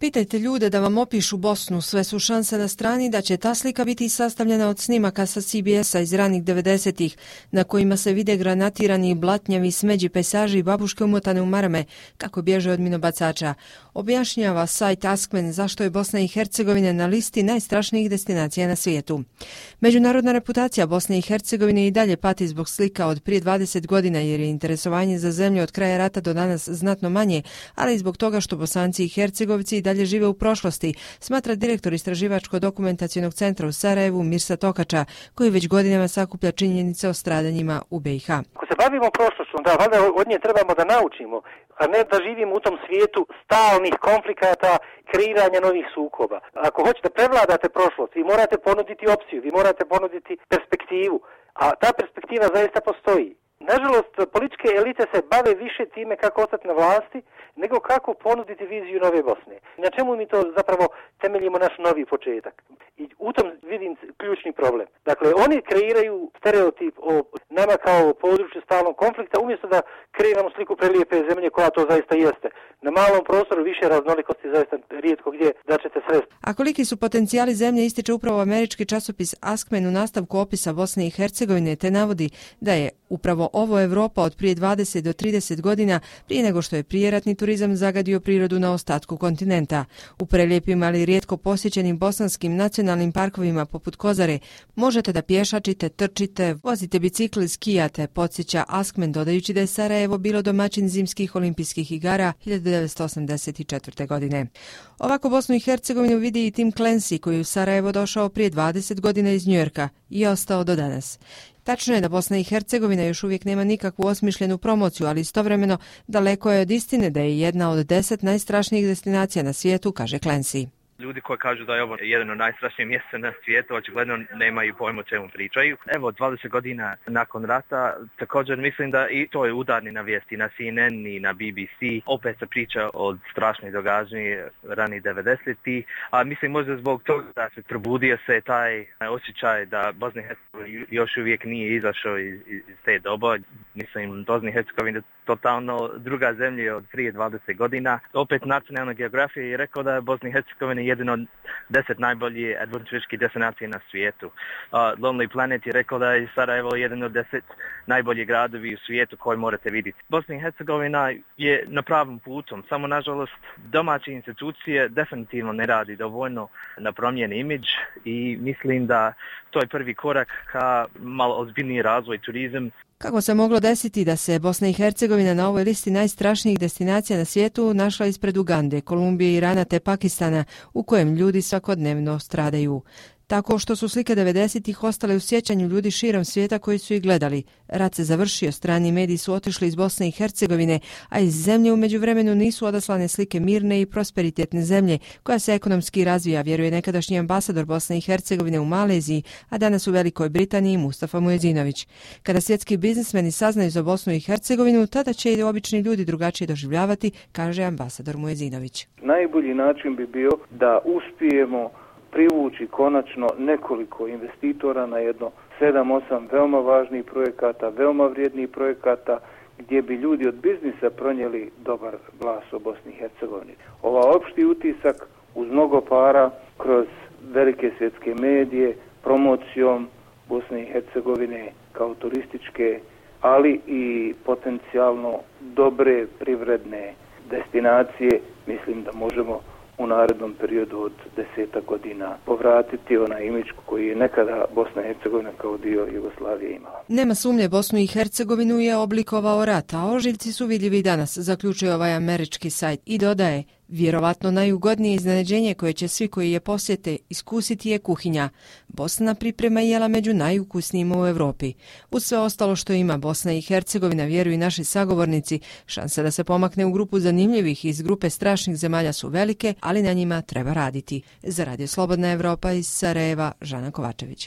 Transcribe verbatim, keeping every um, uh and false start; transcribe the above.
Pitajte ljude da vam opišu Bosnu, sve su šanse na strani da će ta slika biti sastavljena od snimaka sa C B S-a iz ranih devedesetih, na kojima se vide granatirani, blatnjavi, smeđi pejsaži i babuške umotane u marame, kako bježe od minobacača. Objašnjava sajt Askmen zašto je Bosna i Hercegovina na listi najstrašnijih destinacija na svijetu. Međunarodna reputacija Bosne i Hercegovine i dalje pati zbog slika od prije dvadeset godina jer je interesovanje za zemlju od kraja rata do danas znatno manje, ali i zbog toga što Bosanci i Hercegovci i dalje žive u prošlosti, smatra direktor Istraživačko-dokumentacionog centra u Sarajevu Mirsa Tokača, koji već godinama sakuplja činjenice o stradanjima u B i H. Ako se bavimo prošlošću, da valjda od nje trebamo da naučimo, a ne da živimo u tom svijetu stalnih konflikata, kreiranja novih sukoba. Ako hoćete prevladate prošlost, vi morate ponuditi opciju, vi morate ponuditi perspektivu, a ta perspektiva zaista postoji. Nažalost, političke elite se bave više time kako ostati na vlasti, nego kako ponuditi viziju nove Bosne. Na čemu mi to zapravo temeljimo naš novi početak? I u tom vidim ključni problem. Dakle, oni kreiraju stereotip o nama kao području stalnog konflikta, umjesto da kreiramo sliku prelijepe zemlje koja to zaista jeste. Na malom prostoru više raznolikosti zaista rijetko gdje da ćete sresti. A koliki su potencijali zemlje ističe upravo američki časopis Askmen u nastavku opisa Bosne i Hercegovine, te navodi da je upravo ovo Evropa od prije dvadeset do trideset godina, prije nego što je prijeratni turizam zagadio prirodu na ostatku kontinenta. U prelijepim, ali rijetko posjećenim bosanskim nacionalnim parkovima poput Kozare možete da pješačite, trčite, vozite bicikl i skijate, podsjeća Askmen, dodajući da je Sarajevo bilo domaćin zimskih olimpijskih igara hiljadu devetsto osamdeset četvrte. godine. Ovako Bosnu i Hercegovinu vidi i Tim Clancy, koji je u Sarajevo došao prije dvadeset godina iz Njujorka i ostao do danas. Tačno je da Bosna i Hercegovina još uvijek nema nikakvu osmišljenu promociju, ali istovremeno daleko je od istine da je jedna od deset najstrašnijih destinacija na svijetu, kaže Clancy. Ljudi koji kažu da je ovo jedan od najstrašnijih mjesta na svijetu, očigledno nemaju pojma o čemu pričaju. Evo, dvadeset godina nakon rata, također mislim da i to je udarni na vijesti, na C N N i na B B C. Opet se priča o strašnih događanja rani devedesetih, a mislim možda zbog toga da se probudio se taj osjećaj da Bosna i Hercegovina još uvijek nije izašao iz, iz te doba. Mislim, Bosna i Hercegovina je totalno druga zemlja od prije dvadeset godina. Opet Nacionalna geografija je rekao da je Bosna i Hercegovina jedan od deset najboljih adventurističkih destinacija na svijetu. Uh, Lonely Planet je rekao da je Sarajevo jedan od deset najboljih gradovi u svijetu koji morate vidjeti. Bosna i Hercegovina je na pravom putom, samo nažalost domaće institucije definitivno ne radi dovoljno na promjeni imidž i mislim da to je prvi korak ka malo ozbiljniji razvoj turizam. Kako se moglo desiti da se Bosna i Hercegovina na ovoj listi najstrašnijih destinacija na svijetu našla ispred Ugande, Kolumbije, Irana te Pakistana, u kojem ljudi svakodnevno stradaju? Tako što su slike devedesetih ostale u sjećanju ljudi širom svijeta koji su ih gledali. Rat se završio, strani mediji su otišli iz Bosne i Hercegovine, a iz zemlje u međuvremenu nisu odaslane slike mirne i prosperitetne zemlje koja se ekonomski razvija, vjeruje nekadašnji ambasador Bosne i Hercegovine u Maleziji, a danas u Velikoj Britaniji Mustafa Muezinović. Kada svjetski biznismeni saznaju za Bosnu i Hercegovinu, tada će i obični ljudi drugačije doživljavati, kaže ambasador Muezinović. Najbolji način bi bio da uspijemo privući konačno nekoliko investitora na jedno sedam osam veoma važnih projekata, veoma vrijednih projekata gdje bi ljudi od biznisa pronijeli dobar glas o Bosni i Hercegovini. Ova opšti utisak uz mnogo para kroz velike svjetske medije, promocijom Bosne i Hercegovine kao turističke, ali i potencijalno dobre privredne destinacije, mislim da možemo u narednom periodu od deseta godina povratiti onaj imidž koji je nekada Bosna i Hercegovina kao dio Jugoslavije imala. Nema sumnje, Bosnu i Hercegovinu je oblikovao rat, a ožiljci su vidljivi danas, zaključuje ovaj američki sajt i dodaje, vjerovatno najugodnije iznenađenje koje će svi koji je posjete iskusiti je kuhinja. Bosna priprema jela među najukusnijima u Europi. Uz sve ostalo što ima Bosna i Hercegovina, vjeruju i naši sagovornici, šanse da se pomakne u grupu zanimljivih iz grupe strašnih zemalja su velike, ali na njima treba raditi. Za Radio Slobodna Evropa iz Sarajeva, Žana Kovačević.